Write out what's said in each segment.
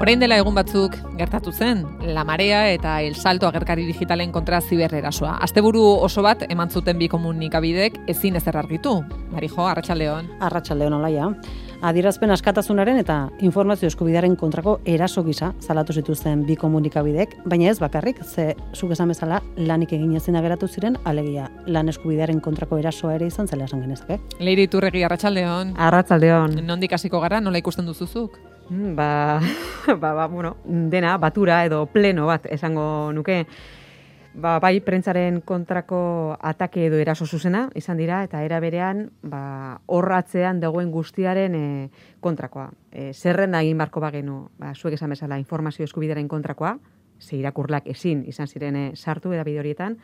Orain dela egun batzuk gertatu zen, La Marea eta El Salto agerkari digitalen kontra zibererasoa. Asteburu oso bat eman zuten bi komunikabidek ezin ezer argitu. Marijo, arratsaldeon. Arratsaldeon olaia. Adierazpen askatasunaren eta informazio eskubidearen kontrako eraso gisa salatu zituzten bi komunikabidek, baina ez bakarrik, ze zuk esan bezala lanik egin ezina geratu ziren, alegia lan eskubidearen kontrako erasoa ere izan zela esan genezake. Leire Iturregi, arratsaldeon. Arratsaldeon. Nondik hasiko gara, nola ikusten duzuzuk? Bueno, dena batura edo pleno bat esango nuke. Bai, prentsaren kontrako atake edo eraso zuzena izan dira, eta era berean, horratzean dagoen guztiaren kontrakoa. Zerrenda egin barko bagenu, zuek esan bezala, informazio eskubidearen kontrakoa, ze irakurlak ezin izan ziren sartu edabide horietan,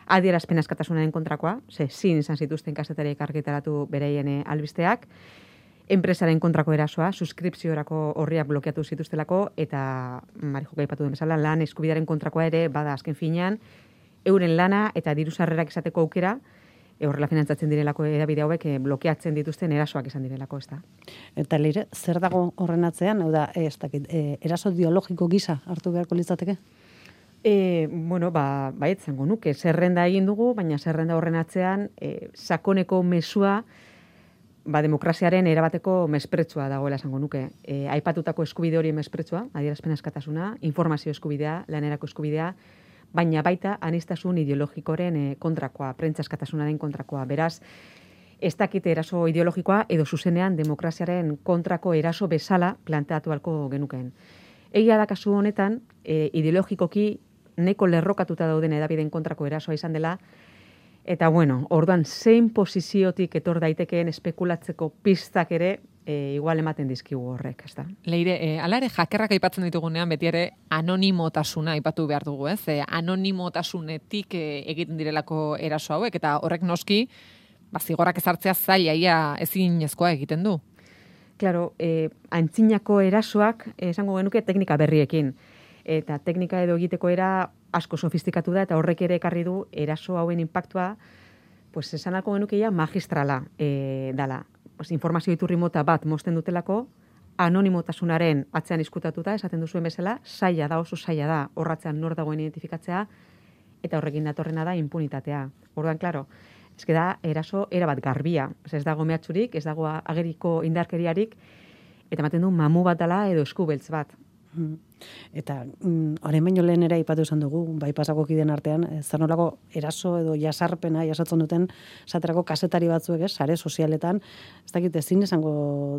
adierazpen askatasunaren kontrakoa, ze ezin izan zituzten kazetariek argitaratu bereien albisteak, enpresaren kontrako erasoa, suskripziorako horriak blokeatu zituztelako, eta Marijo aipatu den bezala, lan eskubidearen kontrakoa ere bada azken finean, euren lana eta diru sarrerak izateko aukera, horrela finantzatzen direlako edabide hauek blokeatzen dituzten erasoak izan direlako, ez da. Eta Leire, zer dago horren atzean? Hau da, eraso ideologiko gisa hartu beharko litzateke? Baiet zango nuke, zerrenda egin dugu, baina zerrenda horren atzean sakoneko mezua demokraziaren erabateko mespretsua dagoela esango nuke. Aipatutako eskubide hori mespretsua, adierazpen askatasuna, informazio eskubidea, lanerako eskubidea, baina baita aniztasun ideologikoren kontrakoa, prentsa askatasunaren kontrakoa. Beraz, ez dakite eraso ideologikoa edo zuzenean demokraziaren kontrako eraso bezala planteatu halko genukeen. Egia da kasu honetan, ideologikoki neko lerrokatuta dauden edabideen kontrako erasoa izan dela, eta orduan zein posiziotik etor daitekeen espekulatzeko pistak ere igual ematen dizkigu horrek, ez da? Leire, hala ere jakerrak aipatzen ditugunean beti ere anonimotasuna aipatu behar dugu, ez? Anonimotasunetik egiten direlako eraso hauek, eta horrek noski, zigorrak ezartzea zaila ezinezkoa egiten du. Claro, antzinako erasoak esango genuke teknika berriekin. Eta teknika edo egiteko era asko sofistikatu da, eta horrek ere ekarri du eraso hauen impactua, esan alko genukeia magistrala dala. Informazio iturri mota bat mozten dutelako, anonimotasunaren atzean izkutatuta, esaten duzuen bezala, oso zaila da, horratzean nor dagoen identifikatzea, eta horrekin datorrena da impunitatea. Orduan, klaro, ez da eraso erabat garbia. Ez dago mehatxurik, ez dago ageriko indarkeriarik, eta ematen du mamu bat dela edo eskubeltz bat. Eta orain baino lehen ere aipatu izan dugu, bai pasako kideen artean, zer nolako eraso edo jasarpena jasatzen duten esaterako kazetari batzuek, sare sozialetan, ez dakit ezin izango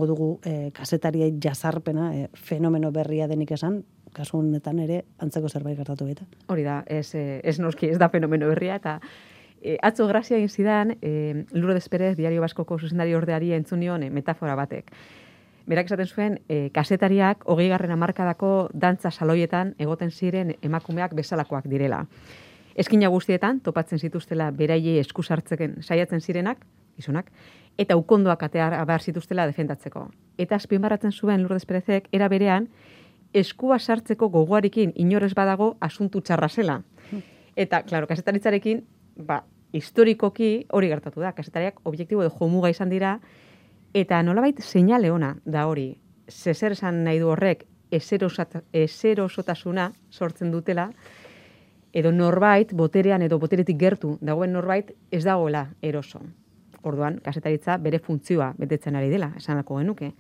dugu kazetariei jasarpena, fenomeno berria denik esan, kasu honetan ere antzeko zerbait gertatu baita. Hori da, ez noski, ez da fenomeno berria, eta atzo grazia egin zidan, Lourdes Perez, Diario Baskoko zuzendari ordeari entzun nion metafora batek. Berak esaten zuen, kazetariak 20. hamarkadako dantza saloietan egoten ziren emakumeak bezalakoak direla. Eskina guztietan topatzen zituztela beraiei esku sartzeken saiatzen zirenak, gizonak, eta ukondoak atear behar zituztela defendatzeko. Eta azpimarratzen zuen Lourdes Perezek era berean eskua sartzeko gogoarekin inorez badago asuntu txarra zela. Eta, klaro, kazetaritzarekin, historikoki hori gertatu da. Kazetariak objektibo edo jomuga izan dira, eta nolabait seinale ona da hori. Zer esan nahi du horrek ezerosotasuna sortzen dutela, edo norbait boterean edo boteretik gertu dagoen norbait ez dagoela eroso. Orduan, kazetaritza bere funtzioa betetzen ari dela, esanako genuke.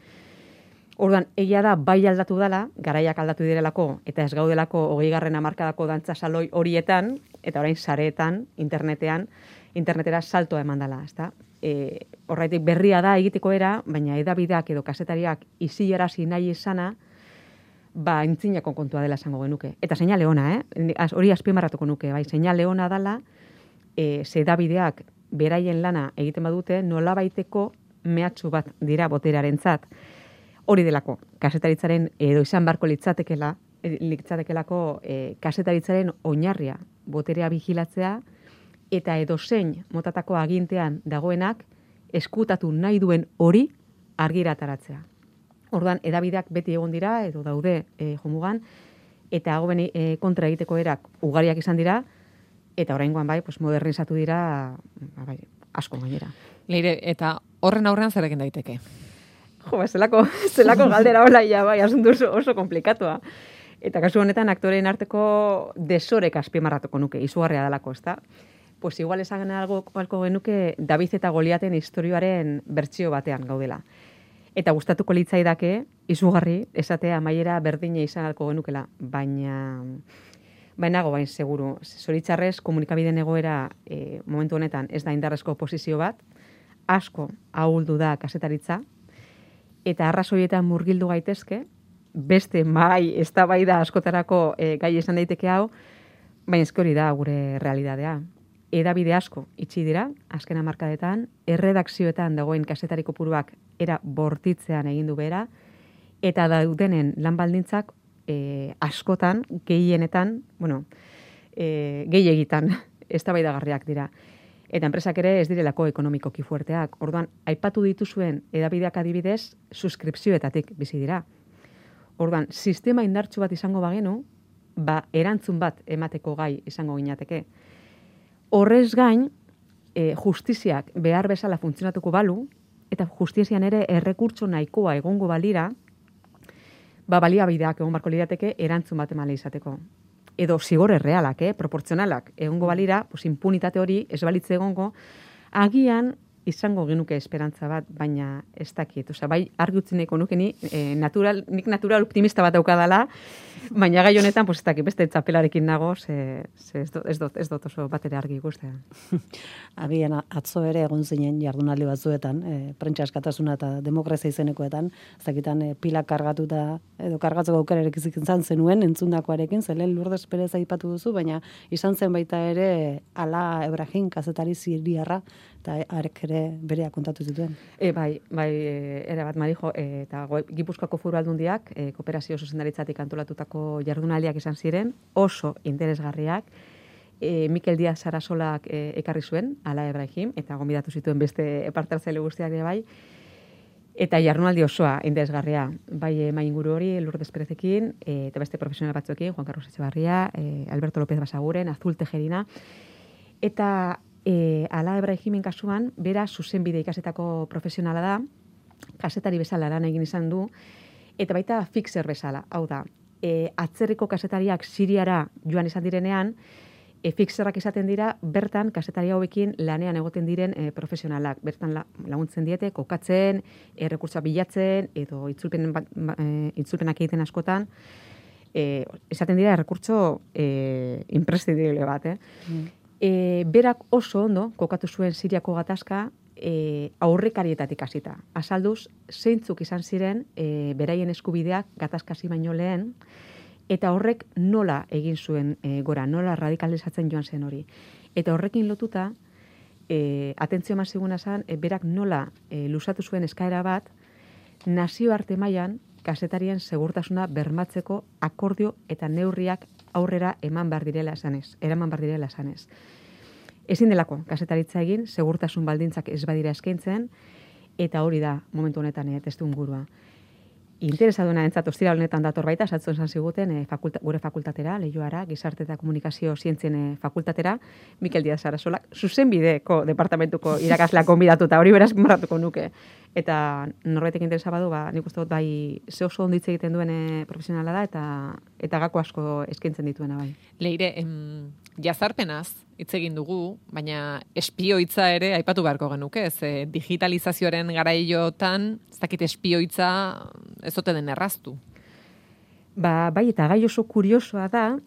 Orduan, egia da bai aldatu dela, garaiak aldatu direlako, eta ez gaudelako 20. hamarkadako dantza saloi horietan, eta orain sareetan, internetera saltoa eman dela, ezta? Horraitik berria da egiteko era, baina edabideak edo kazetariak isilarazi nahi izana, intzinako kontua dela esango genuke. Eta seinale ona, hori azpimarratuko nuke, seinale ona dela, ze edabideak beraien lana egiten badute, nolabaiteko mehatxu bat dira boterarentzat. Hori delako, kazetaritzaren edo izan barko litzatekelako kazetaritzaren oinarria, boterea bigilatzea, eta edozein motatako agintean dagoenak eskutatu nahi duen hori argira ataratzea. Orduan, edabideak beti egon dira, edo daude jomugan, eta hauen kontra egiteko erak ugariak izan dira, eta oraingoan modernizatu dira asko gainera. Leire, eta horren aurrean zer egin daiteke? Jo, zelako galdera hola, ja, bai, asuntu oso komplikatua. Eta kasu honetan aktoreen arteko desorek azpimarratuko nuke, izugarria dalako, ezta? Pues igual esan algo genuke David eta Goliaten istorioaren bertsio batean gaudela. Eta gustatuko litzaidake, izugarri, esatea amaiera berdine izan alko genukela, bainago bain seguru. Zoritxarrez, komunikabideen egoera momentu honetan ez da indarrezko posizio bat, asko ahuldu da kasetaritza, eta arrazoietan murgildu gaitezke, beste eztabaida askotarako gai esan daiteke hau, baina eske hori da gure realidadea. Hedabide asko itxi dira, azken hamarkadetan, erredakzioetan dagoen kasetari kopuruak era bortitzean egin du bera, eta daudenen lan baldintzak askotan, gehienetan, gehiegitan, eztabaidagarriak dira. Eta enpresak ere ez direlako ekonomikoki fuerteak. Orduan, aipatu dituzuen hedabideak adibidez, suskripzioetatik bizi dira. Orduan, sistema indartsu bat izango bagenu, erantzun bat emateko gai izango ginateke. Horrez gain, justiziak behar bezala funtzionatuko balu, eta justizian ere errekurtso nahikoa egongo balira, baliabideak egon barko lirateke erantzun bat emale izateko. Edo zigor errealak, proportzionalak egongo balira, impunitate hori ez balitze egongo, agian izango genuke esperantza bat, baina ez dakit. Osea, bai argi utzi nahiko nuke nik natural optimista bat daukadala, baina gai honetan, ez dakit, beste txapelarekin nago, ez dut oso bat ere argi ikustea. Agian atzo ere egon zinen jardunaldi batzuetan, prentsa askatasuna eta demokrazia izenekoetan, ez dakitan pila kargatuta edo kargatzeko aukerarekin izan zenuen entzundakoarekin, zelen Lourdes Perez aipatu duzu, baina izan zen baita ere Ala Ebrahim kazetari siriarra, eta arek ere berea kontatu zituen. Bai, ere bat, Marijo, eta Gipuzkoako Foru Aldundiak kooperazio zuzendaritzatik antolatutako jardunaldiak izan ziren, oso interesgarriak. Mikel Díaz Sarasolak ekarri zuen, Ala Ebrahim, eta gonbidatu zituen beste parte hartzaile guztiak ere bai, eta jardunaldi osoa interesgarria. Bai mainguru hori, Lourdes Perezekin, eta beste profesional batzuekin, Juan Carlos Etxebarria, Alberto López Basaguren, Azul Tejerina, eta Ala Ebrahimen kasuan, bera zuzenbide ikasetako profesionala da, kasetari bezala lan egin izan du, eta baita fixer bezala, hau da, atzerriko kasetariak Siriara joan izan direnean, fixerrak izaten dira, bertan kasetari hauekin lanean egoten diren profesionalak, bertan laguntzen diete, kokatzen, errekurtsoa bilatzen, edo itzulpenak egiten askotan, izaten dira errekurtso imprescindible bat, berak oso ondo kokatu zuen Siriako gatazka aurrekarietatik hasita. Azalduz, zeintzuk izan ziren beraien eskubideak gatazkasi baino lehen, eta horrek nola egin zuen gora, nola radikalizatzen joan zen hori. Eta horrekin lotuta, atentzio maziguna zen, berak nola luzatu zuen eskaera bat, nazioarte mailan kasetarien segurtasuna bermatzeko akordio eta neurriak aurrera eraman behar direla esanez. Ezin delako kasetaritza egin, segurtasun baldintzak ez badira eskaintzen, eta hori da momentu honetan testuingurua. Interesaduna entzat ostira honetan dator baita, esatzu esan ziguten gure fakultatera, Leioara, Gizarte eta Komunikazio Zientzien fakultatera, Mikel Díaz Sarasolak, zuzenbideko departamentuko irakasleak gonbidatuta, hori beraz marratuko nuke. Eta norbaitek interesa badu, nik uste dut bai ze oso onditze egiten duen profesionala da, eta gako asko eskaintzen dituena bai. Leire, jazarpenaz hitz egin dugu, baina espioitza ere aipatu beharko genuke, digitalizazioaren garaiotan, ez dakit espioitza ez ote den erraztu. Bai, eta gai oso kuriosoa da,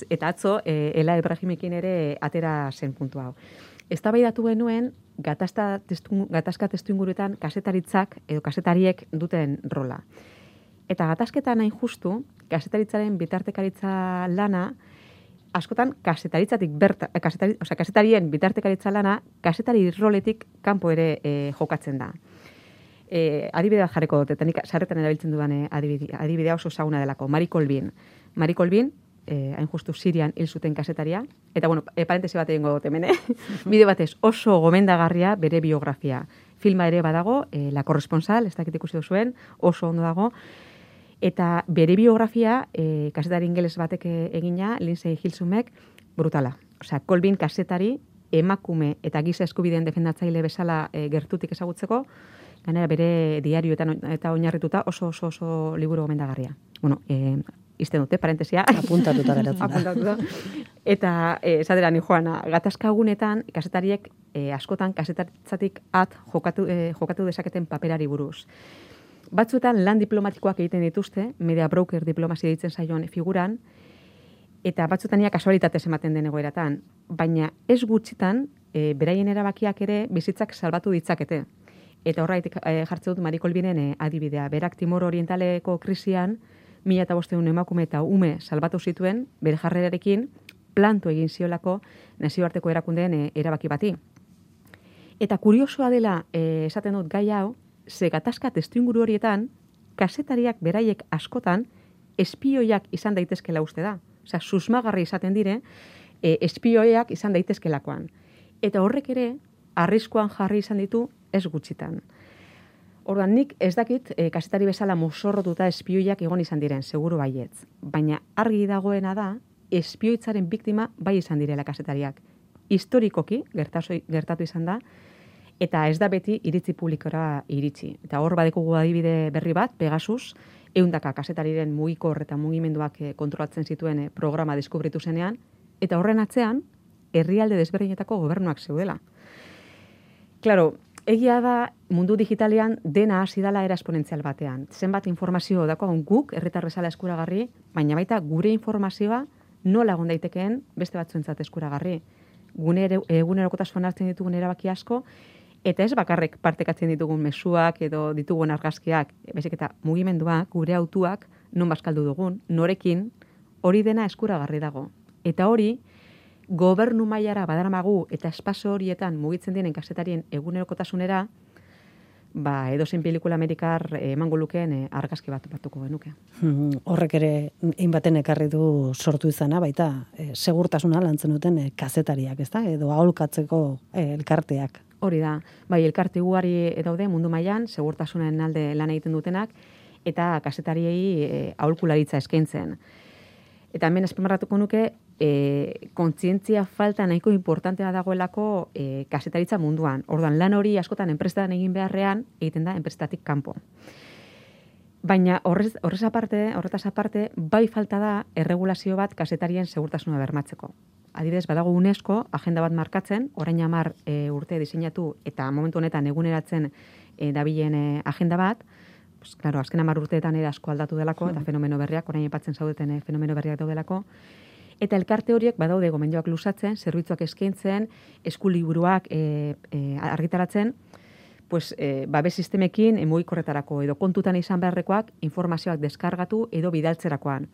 eta atzo, Ela Ebrahimekin ere atera zen puntu hau. Eztabaidatu genuen gatazka testuinguruetan kasetaritzak edo kasetariek duten rola. Eta gatazketan hain justu, kasetaritzaren bitartekaritza lana, askotan kasetarien bitartekaritza lana, kasetari roletik kanpo ere jokatzen da. Adibidea jarriko dut, eta nik sarretan erabiltzen dudan adibidea oso ezaguna delako, Mari Colvin. Mari Colvin, hain justu Sirian hil zuten kasetaria, eta parentesi bat egingo dut hemen, bide batez oso gomendagarria bere biografia. Filma ere badago, La Corresponsal, ez dakit ikusi duzuen, oso ondo dago, eta bere biografia, kasetari ingeles batek egina, Lindsay Hilsumek, brutala. Osea, Colvin kasetari, emakume eta giza eskubideen defendatzaile bezala gertutik ezagutzeko, Gainera bere diarioetan eta oinarrituta oso liburu gomendagarria. Bueno, izten dute, parentesia. Apuntatuta geratzen da. Apuntatuta. Eta, esatera ni joana, gatazkagunetan, kasetariek askotan kasetaritzatik jokatu dezaketen paperari buruz. Batzuetan lan diplomatikoak egiten dituzte, media broker diplomazia ditzen zaion figuran, eta batzuetan kasualitatez ematen den egoeratan, baina ez gutxitan, beraien erabakiak ere bizitzak salbatu ditzakete. Eta horraitik jartzen dut Marie Colvinen adibidea. Berak Timor Orientaleko krisian, 1500 emakume eta ume salbatu zituen, bere jarrerarekin planto egin ziolako nazioarteko erakundeen erabaki bati. Eta kuriosoa dela, esaten dut gai hau, ze gatazka testuinguru horietan, kazetariak beraiek askotan, espioiak izan daitezkela uste da. Osea, susmagarri izaten dire, espioiak izan daitezkelakoan. Eta horrek ere, arriskuan jarri izan ditu ez gutxitan. Orduan, nik ez dakit kazetari bezala mozorrotuta espioiak egon izan diren, seguru baietz. Baina argi dagoena da, espioitzaren biktima bai izan direla kazetariak. Historikoki gertatu izan da, eta ez da beti iritzi publikora iritsi. Eta hor badekugu adibide berri bat, Pegasus, 100 kazetariren mugikor eta mugimenduak kontrolatzen zituen programa deskubritu zenean, eta horren atzean, herrialde desberdinetako gobernuak zeudela. Claro, egia da mundu digitalean dena hasi dela era esponentzial batean. Zenbat informazio daukagun guk herritar bezala eskuragarri, baina baita gure informazioa nola egon daitekeen beste batzuentzat eskuragarri. Gune egunerokotasunean hartzen ditugun erabaki asko, eta ez bakarrek partekatzen ditugun mezuak edo ditugun argazkiak, baizik eta mugimenduak, gure autuak, non bazkaldu dugun, norekin, hori dena eskuragarri dago. Eta hori, gobernu mailara badaramagu eta espazio horietan mugitzen diren kazetarien egunerokotasunera, edozein pelikula amerikar emango lukeen argazki bat batuko genuke. Horrek ere hainbaten ekarri du sortu izana, baita segurtasuna lantzen duten kazetariak, ezta? Edo aholkatzeko elkarteak. Hori da, bai, elkarte ugari daude mundu mailan segurtasunen alde lan egiten dutenak, eta kazetariei aholkularitza eskaintzen. Eta hemen azpimarratuko nuke, kontzientzia falta nahiko importantea dagoelako kazetaritza munduan. Orduan, lan hori askotan enpresetan egin beharrean, egiten da enpresetatik kanpo. Baina horretaz aparte, bai falta da erregulazio bat kazetarien segurtasuna bermatzeko. Adibidez, badago UNESCO agenda bat markatzen, orain 10 urte diseinatu eta momentu honetan eguneratzen dabilen agenda bat. Pues, claro, azken 10 urteetan ere asko aldatu delako, eta fenomeno berriak, orain aipatzen zaudeten fenomeno berriak daudelako. Eta elkarte horiek badaude gomendioak luzatzen, zerbitzuak eskaintzen, eskuliburuak argitaratzen, pues, babes sistemekin mugikorretarako edo kontutan izan beharrekoak informazioak deskargatu edo bidaltzerakoan.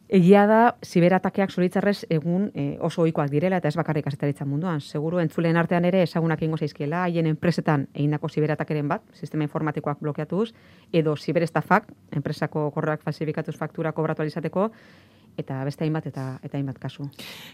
Egia da, ziberatakeak zoritxarrez egun oso ohikoak direla eta ez bakarrik kazetaritza munduan. Seguru entzuleen artean ere ezagunak egingo zaizkiela, haien enpresetan egindako ziberatakeren bat, sistema informatikoak blokeatuz, edo ziberestafak, enpresako korreoak falsifikatuz faktura kobratu alizateko, eta beste hainbat eta hainbat kasu.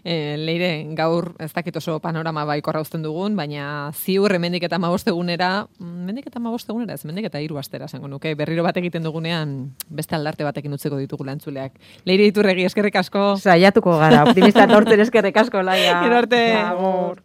Leire, gaur ez dakit oso panorama baikorra uzten dugun, baina ziur hemendik eta 15 egunera, mendik eta 15 egunera, ez mendik eta 3 astera esango nuke, berriro bat egiten dugunean beste aldarte batekin utzeko ditugu lantzuleak. Leire Iturregi, eskerrik asko. Saiatuko gara, optimista tortzen eskerrik asko, Laia. Gero arte. Agur.